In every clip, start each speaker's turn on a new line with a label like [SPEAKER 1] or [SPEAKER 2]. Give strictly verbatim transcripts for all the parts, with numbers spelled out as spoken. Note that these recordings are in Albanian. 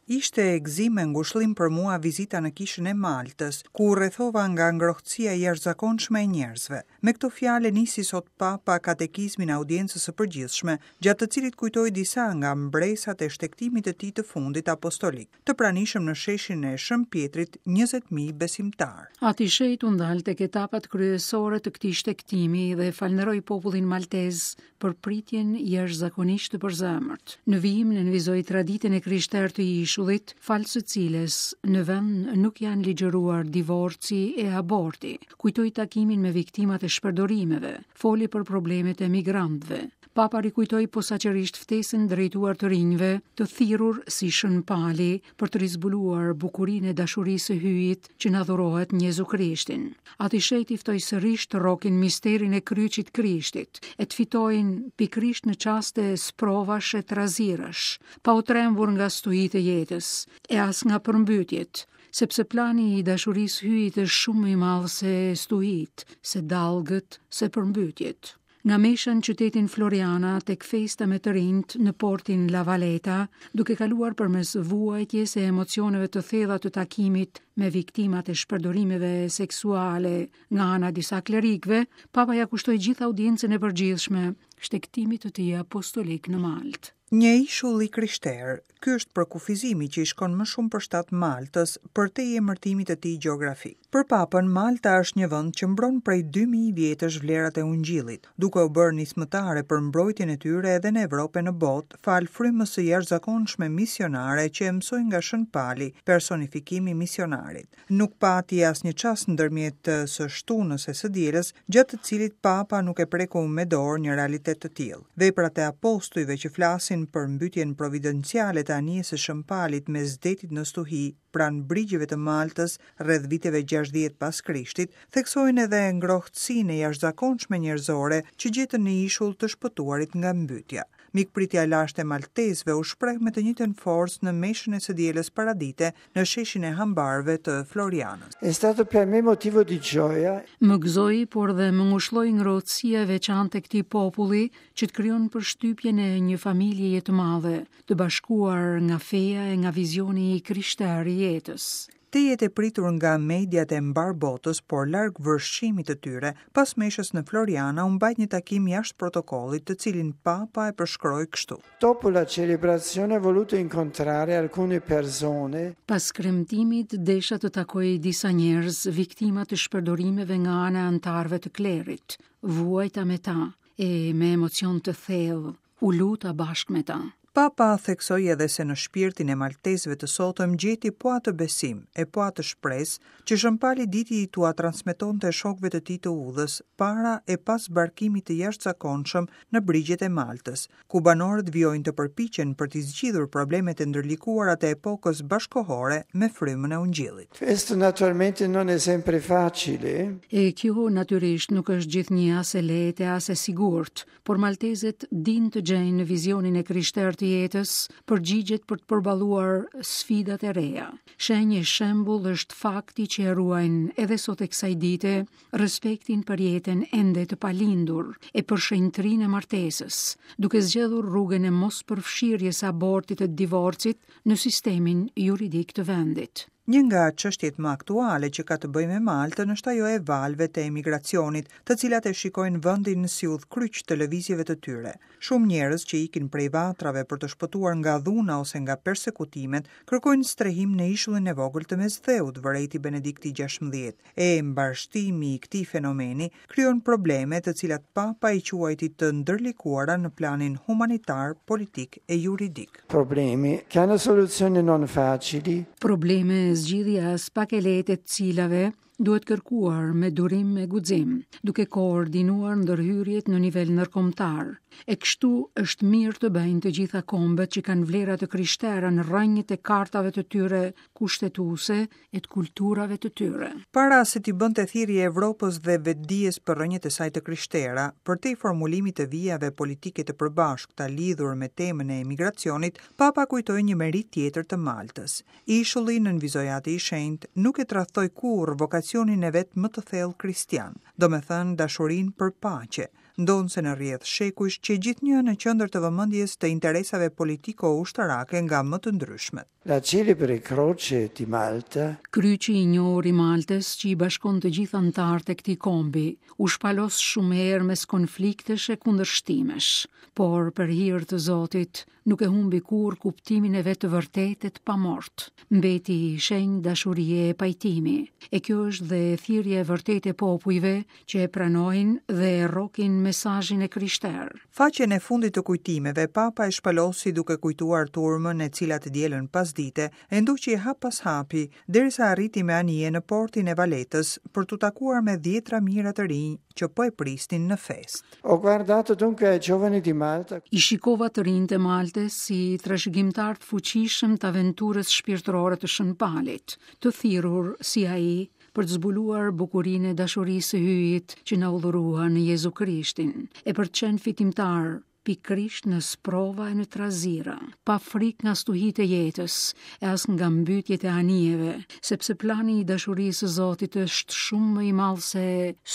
[SPEAKER 1] Ishte gëzim e ngushëllim për mua vizita në kishën e Maltës, ku u rrethova nga ngrohtësia e jashtëzakonshme e njerëzve. Me këto fjalë nisi sot Papa katekizmin e audiencës së përgjithshme, gjatë të cilit kujtoi disa nga mbresat e shtegtimit të tij të fundit apostolik, të pranishëm në sheshin e Shën Pietrit njëzet mijë besimtar.
[SPEAKER 2] Ati i Shenjtë u ndal tek etapat kryesore të këtij shtegtimi dhe falënderoi popullin maltez për pritjen jashtëzakonisht të përzemërt. Në vijim nënvizoi traditën e krishterë të ishullit, falë së cilës në vend nuk janë ligjëruar divorci e aborti. Kujtoi takimin me viktimat e shpërdorimeve, foli për problemet e migrantëve. Papa rikujtoi posaçërisht ftesën drejtuar të rinjve, të thirrur si Shën Pali për të rizbuluar bukurinë e dashurisë së Hyjit që na dhurohet në Jezu Krishtin. Ati i Shenjtë ftoi sërish të rrokin misterin e kryqit Krishtit, e të fitojnë pikërisht në çaste sprovash e trazirash, pa u trembur nga stuhitë e jetës, e as nga përmbytjet, sepse plani i dashurisë Hyjit është shumë më i madh se stuhit, se dallgët, se përmbytjet. Nga mesha në qytetin Floriana tek festa me të rinjt në portin La Valeta, duke kaluar përmes vuajtjes e emocioneve të thella të takimit me viktimat e shpërdorimeve seksuale nga ana e disa klerikëve, Papa ja kushtoi gjithë audiencën e përgjithshme shtegtimit të tij apostolik në Maltë.
[SPEAKER 1] Një ishull i krishterë, ky është përkufizimi që i shkon më shumë për shtat Maltës, përtej emërtimit të tij gjeografik. Për Papën, Malta është një vend që mbron prej dy mijë vjetësh vlerat e ungjillit, duke u bërë nismëtare për mbrojtjen e tyre edhe në Evropë e në botë, fal frymës së jashtëzakonshme misionare që e mësoi nga Shën Pali, personifikimi i misionarit. Nuk pati asnjë çast ndërmjet së shtunës e së dielës, gjatë të cilit Papa nuk e preku me dorë një realitet të tillë. Veprat e apostujve që flasin për mbytjen providenciale të anijes së Shën Palit mes detit në stuhi, pranë brigjeve të Maltës rreth viteve gjashtëdhjetë pas Krishtit, theksojnë edhe ngrohtësinë e jashtëzakonshme njerëzore që gjetën në ishull të shpëtuarit nga mbytja. Mikpritja e lashtë e maltezëve u shpreh me të njëjtën forcë në meshën e së dielës paradite në sheshin e hambarëve të Florianës.
[SPEAKER 3] È stato per me motivo di gioia.
[SPEAKER 2] Më gëzoi, por dhe më ngushlloi ngrohtësia e veçantë e këtij populli që të krijon përshtypjen e një familjeje të madhe, të bashkuar nga feja e nga vizioni i krishterë i jetës.
[SPEAKER 1] Te jetë e pritur nga mediat e mbar botës, por larg vërshimit të tyre, pas meshës në Floriana u mbajt një takim jashtë protokollit, të cilin Papa e përshkroi kështu.
[SPEAKER 3] Dopo la celebrazione ho voluto incontrare alcune persone.
[SPEAKER 2] Pas kremtimit desha të takoj disa njerëz viktima të shpërdorimeve nga ana e antarëve të klerit. Vuajta me ta e me emocion të thellë u luta bashkë me ta.
[SPEAKER 1] Papa theksoi edhe se në shpirtin e maltezëve të sotëm gjeti po atë besim e po atë shpresë që Shën Pali diti t'ua transmetonte shokëve të tij të udhës para e pas zbarkimit të jashtëzakonshëm në brigjet e Maltës, ku banorët vijojnë të përpiqen për t'i zgjidhur problemet e ndërlikuara të epokës bashkohore me frymën e ungjillit.
[SPEAKER 3] Questo naturalmente non è sempre facile.
[SPEAKER 2] E kjo natyrisht nuk është gjithnjë as e lehtë as e sigurt, por maltezët dinë të gjejnë në vizionin e krishterë të jetës përgjigjet për të përballuar sfidat e reja. Shenjë e shembull është fakti që e ruajnë edhe sot e kësaj dite respektin për jetën ende të palindur e për shenjtërinë e martesës, duke zgjedhur rrugën e mos përfshirjes së abortit e divorcit në sistemin juridik të vendit.
[SPEAKER 1] Një nga çështjet më aktuale që ka të bëjë me Maltën është ajo e valëve të emigracionit, të cilat e shikojnë vendin si udhkryq të lëvizjeve të tyre. Shumë njerëz që ikin prej vatrave për të shpëtuar nga dhuna ose nga persekutimet, kërkojnë strehim në ishullin e vogël të Mesdheut, vërejti Benedikti gjashtëmbëdhjetë. E mbarështimi i këtij fenomeni krijon probleme të cilat Papa i quajti të ndërlikuara në planin humanitar, politik e juridik.
[SPEAKER 3] Problemi che hanno soluzioni non facili.
[SPEAKER 2] Probleme zgjidhja as pak e lehtë e të cilave duhet kërkuar me durim e guxim, duke koordinuar ndërhyrjet në nivel ndërkombëtar. E kështu është mirë të bëjnë të gjitha kombet që kanë vlera të krishtera në rrënjët e kartave të tyre kushtetuese e të kulturave të tyre.
[SPEAKER 1] Para se t'i bënte thirrje Evropës dhe vetdijes për rrënjët e saj të krishtera, përtej formulimit të vijave politike të përbashkëta lidhur me temën e emigracionit, Papa kujtoi një merit tjetër të Maltës. Ishulli nënvizoi Ati i Shenjtë nuk e tradhtoi kurrë vokacionin e vet më të thellë kristian, domethënë dashurinë për paqe, ndonëse në rrjedhë shekujsh që gjithnjë në qendër të vëmendjes të interesave politiko-ushtarake nga më të ndryshmet.
[SPEAKER 3] La celebre croce di Malta
[SPEAKER 2] Kryqi i njohur i Maltës që i bashkon të gjithë anëtarët e këtij kombi, u shpalos shumë herë mes konfliktesh e kundërshtimesh, por për hir të Zotit nuk e humbi kurrë kuptimin e vet të vërtetë e të pamort. Mbeti shenjë dashurie e pajtimi, e kjo është dhe thirrja e vërtetë e popujve që e pranojnë dhe e rrokin mesazhin e krishterë.
[SPEAKER 1] Faqen e fundit të kujtimeve, Papa e shpalosi duke kujtuar turmën e cila të dielën pasdite e ndoqi hap pas hapi derisa arriti me anije në portin e Valetës për t'u takuar me dhjetra mijëra të rinj që po e prisnin në festë.
[SPEAKER 3] Ho guardato dunque ai giovani di Malta
[SPEAKER 2] I shikova të rinjtë e Maltës si trashëgimtar të fuqishëm të aventurës shpirtërore të Shën Palit, të thirrur si ai për të zbuluar bukurinë e dashurisë së Hyjit që na u dhurua në Jezu Krishtin, e për të qenë fitimtar pikërisht në sprova e në trazira, pa frikë nga stuhitë e jetës e as nga mbytjet e anijeve, sepse plani i dashurisë së Zotit është shumë më i madh se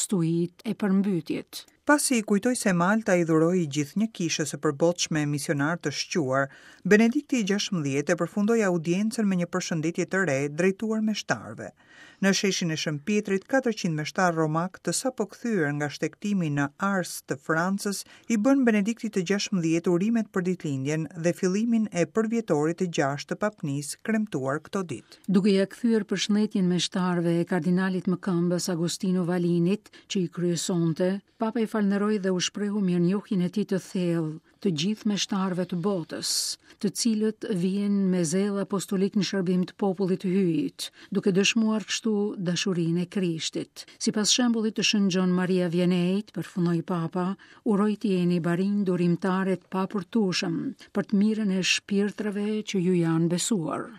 [SPEAKER 2] stuhitë e përmbytjet.
[SPEAKER 1] Pasi i kujtoi se Malta i dhuroi gjithnjë kishës së përbotshme misionar të shquar, Benedikti i gjashtëmbëdhjetë e përfundoi audiencën me një përshëndetje të re drejtuar meshtarëve. Në sheshin e Shën Pietrit, katërqind meshtarë romak të sapo kthyer nga shtegtimi në Ars të Francës i bën Benediktit të gjashtëmbëdhjetë urimet për ditëlindjen dhe fillimin e përvjetorit të gjashtë të papnisë kremtuar këto ditë.
[SPEAKER 2] Duke ja kthyer përshëndetjen meshtarëve e kardinalit më këmbës Agostino Valinit, që i kryesonte, Papa i falënderoi dhe u shprehu mirënjohjen e tij të thellë të gjithë meshtarëve të botës, të cilët vihen me zell apostolik në shërbim të popullit të Hyjit, duke dëshmuar kështu dashurinë e Krishtit. Sipas shembullit të Shën Gjon Maria Vianneyt, përfundoi Papa, uroj të jeni barinj durimtare të papërtueshëm për të mirën e shpirtrave që ju janë besuar.